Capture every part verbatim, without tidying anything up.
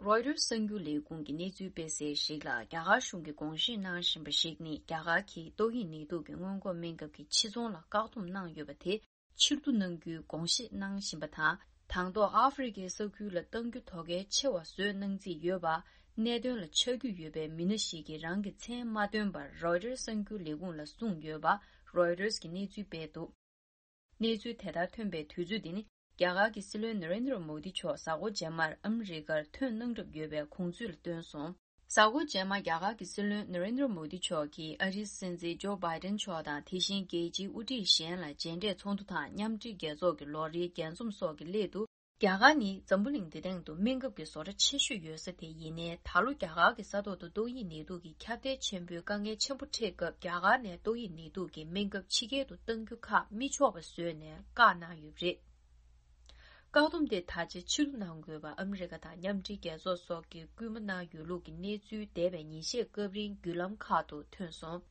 རོའི་ཊར་གསར་འགྱུར་ལས་ཁུངས་ཀྱི་གནས་ཚུལ་སྤེལ་གསལ་ཞིག་ལ། རྒྱ་གར་གཞུང་གིས་དགོངས་བཞེས་གནང་བཞིན་པ་ཞིག་ནི། རྒྱ་གར་གྱིས་ཏོག་དབྱིབས་ནད་དུག་གི་སྔོན་འགོག་སྨན་ཁབ་ཀྱི་ཕྱིར་ཚོང་ལ་བཀག་སྡོམ་གནང་ཡོད་པ་དེ་ཕྱིར་བསྡུ་གནང་རྒྱུའི་དགོངས་བཞེས་གནང་བཞིན་པ་དང་། དང་ཐོག་ཨ་ཧྥེ་རི་ཁའི་ས་ཁུལ་ལ་གཏང་རྒྱུ་དོ་གལ་ཆེ་བ་བཟོས་གནང་རྩིས་ཡོད་པ། གནད་དོན་ལ་ཆ་རྒྱུས་ཡོད་པའི་མི་སྣ་ཞིག་གིས་རང་གི་མཚན་མ་བཏོན་པར་རོའི་ཊར་གསར་འགྱུར་ལས་ཁུངས་ལ་གསུངས་ཡོད་པ། རོའི་ཊར་གྱིས་གནས་ཚུལ་སྤེལ་འདུག་གནས་ཚུལ་དེ་ལྟར་ཐོན་པའི་དུས་ཚོད་འདི་ནི། རྒྱ་གར་གྱི་སྲིད་བློན་ན་རེན་དྲ་མོ་དི་མཆོག་གཟའ་འཁོར་རྗེས་མར་ཨ་མི་རི་ཀར་ཐོན་གནང་གྲབས་ཡོད་པའི་དགོངས་ཚུལ་ལ་བཏོན་སོང་། གཟའ་འཁོར་རྗེས་མར་རྒྱ་གར་གྱི་སྲིད་བློན་ན་རེན་དྲ་མོ་དི་མཆོག་གིས་ཨ་རིའི་སྲིད་འཛིན་ཇོ་བྷའི་ཏན་མཆོག་དང་། དེ་བཞིན་རྒྱལ་སྤྱིའི་དབུ་ཁྲིད་གཞན་ལ་མཇལ་འཕྲད་ཚོགས་འདུ་དང་། མཉམ་འབྲེལ་རྒྱལ་ཚོགས་ཀྱི་ལོ་རེའི་རྒྱས་འཛོམས་སོགས་ཀྱི་སླད་དུ། རྒྱ་གར་ནི་འཛམ་བུ་གླིང་འདི་སྟེང་དུ་སྨན་ཁབ་ཀྱི་བཟོ་གྲྭ་ཆེ་ཤོས་ཡོད་ས་དེ་ཡིན་ནའི། ད་ལོ་རྒྱ་གར་གྱི་ས་ཐོག་ཏུ་ཏོག་དབྱིབས་ནད་དུག་གི་ཁྱབ་གདལ་ཆེན་པོའི་དཀའ་ངལ་ཆེན་པོ་འཕྲད་སྐབས། རྒྱ་གར་ནས་ཏོག་དབྱིབས་ནད་དུག་གི་སྨན་ཁབ་ཕྱི་རྒྱལ་དུ་གཏང་རྒྱུ་ཁག་མི་ཆོག་པ་བཟོས་ནས་བཀག་གནང་ཡོད་པ་རེད། བཀག་སྡོམ་དེ་ད་ཆ་ཕྱིར་བསྡུ་གནང་དགོས་པ་ཨ་མི་རི་ཀ་དང་མཉམ་འབྲེལ་རྒྱལ་ཚོགས་སོགས་ཀྱིས་སྐུལ་མ་གནང་ཡོད་ལུགས་ཀྱི་གནས་ཚུལ་འདས་པའི་ཉིན་ཤས་སྐབས་རིང་བརྒྱུད་ལམ་ཁག་ཏུ་ཐོན་སོང་།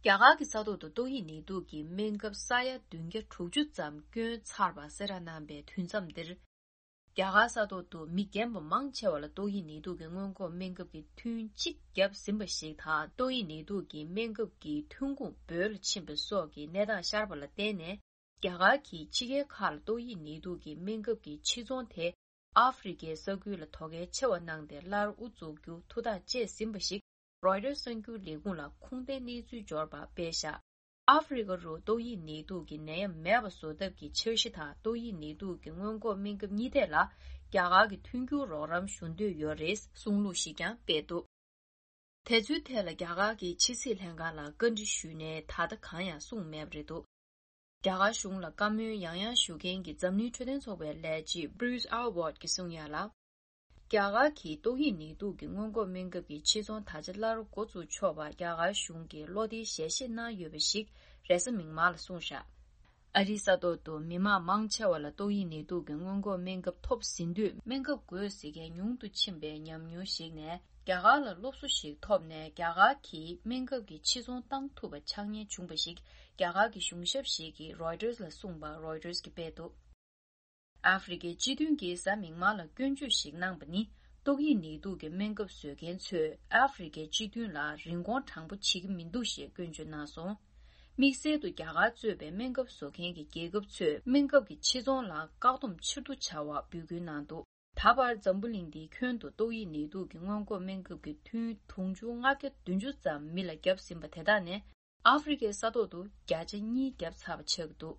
རྒྱ་གར་གྱི་ས་ཐོག་ཏུ་ཏོག་དབྱིབས་ནད་དུག་གི་སྨན་ཁབ་ས་ཡ་བདུན་བརྒྱ་དྲུག་ཅུ་ཙམ་བསྐྱོན་ཚར་བ་གསལ་བསྒྲགས་གནང་པའི་དུས་མཚམས་འདིར། རྒྱ་གར་ས་ཐོག་ཏུ་མི་རྒན་པ་མང་ཆེ་བ་ལ་ཏོག་དབྱིབས་ནད་དུག་གི་སྔོན་འགོག་སྨན་ཁབ་ཀྱི་ཐུན་གཅིག་བརྒྱབ་ཟིན་པ་ཞིག་དང་། ཏོག་དབྱིབས་ནད་དུག་གི་སྨན་ཁབ་ཀྱི་ཐོན་ཁུངས་བོད་ལ་ཕྱིན་པ་སོགས་ཀྱི་གནས་སྟངས་ཤར་བ་ལ་བརྟེན་ནས། རྒྱ་གར་གྱིས་ཕྱི་རྒྱལ་ཁག་ལ་ཏོག་དབྱིབས་ནད་དུག་གི་སྨན་ཁབ་ཀྱི་ཕྱིར་ཚོང་དེ་ཨ་ཧྥེ་རི་ཁའི་ས་ཁུལ་ལ་དོ་གལ་ཆེ་བ་གནང་སྟེ་སླར་དབུ་འཛུགས་རྒྱུ་ཐུགས་ཐག་བཅད་ཟིན་པ་ཞིག་རོའི་ཊར་གསར་འགྱུར་ལས་ཁུངས་ལ་ཁུངས་ལྡན་གནས་ཚུལ་འབྱོར་པ་སྤེལ་བཞག་ཨ་ཧྥེ་རི་ཁ་རུ་ཏོག་དབྱིབས་ནད་དུག་གི་ནད་ཡམས་མེད་པ་བཟོ་ཐབས་ཀྱི་འཆར་གཞི་དང་། ཏོག་དབྱིབས་ནད་དུག་གི་སྔོན་འགོག་སྨན་ཁབ་གཉིས་ཐད་ལ་རྒྱ་གར་གྱི་མཐུན་འགྱུར་རོགས་རམ་ཞུ་འདོད་ཡོད་རེད་གསུང་ལུགས་ཤིག་ཀྱང་སྤེལ་འདུག་དེ་ཚོའི་ཐད་ལ་རྒྱ་གར་གྱི་ཕྱི་སྲིད་ལྷན་ཁང་ལ་བཀའ་འདྲི་ཞུས་ནས་ད་ལྟ་གང་ཡང་གསུངས་མེད་པ་རེད་འདུག་རྒྱ་གར་གཞུང་ལ་བཀའ་མོལ་ཡང་ཡང་ཞུ་མཁན་གྱི་འཛམ་གླིང་འཕྲོད་བསྟེན་ཚོགས་པའི་ལས་བྱེད་Bruce Aylward་གྱིས་གསུངས་ཡ་ལ། རྒྱ་གར་གྱིས་ཏོག་དབྱིབས་ནད་དུག་གི་སྔོན་འགོག་སྨན་ཁབ་ཀྱི་ཕྱིར་ཚོང་ད་ཆ་སླར་འགོ་བཙུགས་ཆོག་པ་རྒྱ་གར་གཞུང་གིས་བློ་བདེའི་ཞལ་བཞེས་གནང་ཡོད་པ་ཞིག་རེས་གཟའ་མིག་དམར་ལ་གསུངས་བཞག་ཨ་རིའི་ས་ཐོག་ཏུ་མི་མང་མང་ཆེ་བ་ལ་ཏོག་དབྱིབས་ནད་དུག་གི་སྔོན་འགོག་སྨན་ཁབ་ཐོབ་ཟིན་དུས། སྨན་ཁབ་དགོས་ཟེར་མཁན་ཉུང་དུ་ཕྱིན་པའི་ཉམས་མྱོང་ཞིག་ནས། རྒྱ་གར་ལ་སློབ་གསོ་ཞིག་ཐོབ་ནས། རྒྱ་གར་གྱིས་སྨན་ཁབ་ཀྱི་ཕྱིར་ཚོང་བཏང་ཐུབ་པ་ཆགས་ཉེན་བྱུང་པ་ཞིག་རྒྱ་གར་གྱི་གཞུང་ཞབས་ཤིག་གིས་Reuters་ལ་གསུངས་པ་Reuters་གིས་སྤེལ་འདུག་ཨ་ཧྥེ་རི་ཁའི་སྤྱི་མཐུན་གྱིས་གཟའ་མིག་དམར་ལ་སྐྱོན་བརྗོད་ཞིག་གནང་པ་ནི། ཏོག་དབྱིབས་ནད་དུག་གི་སྨན་ཁབ་བཟོ་མཁན་ཚོས་ཨ་ཧྥེ་རི་ཁའི་སྤྱི་མཐུན་ལ་རིན་གོང་དྲང་པོ་བྱེད་ཀྱི་མི་འདུག་ཞེས་སྐྱོན་བརྗོད་གནང་སོང་། དམིགས་བསལ་དུ་རྒྱ་གར་གཙོས་པའི་སྨན་ཁབ་བཟོ་མཁན་གྱི་རྒྱལ་ཁབ་ཚོས་སྨན་ཁབ་ཀྱི་ཕྱིར་ཚོང་ལ་བཀག་སྡོམ་ཕྱིར་བསྡུ་བྱ་བ་འབོད་སྐུལ་གནང་འདུག་ད་བར་འཛམ་བུ་གླིང་འདིའི་ཁྱོན་དུ་ཏོག་དབྱིབས་ནད་དུག་གི་སྔོན་འགོག་སྨན་ཁབ་ཀྱི་ཐུན་དུང་ཕྱུར་ལྔ་བརྒྱ་བདུན་ཅུ་ཙམ་མི་ལ་བརྒྱབ་ཟིན་པ་དེ་དག་ནས། ཨ་ཧྥེ་རི་ཁའི་ས་ཐོག་ཏུ་བརྒྱ་ཆ་གཉིས་བརྒྱབ་ཚར་བ་ཆགས་ཀྱི་འདུག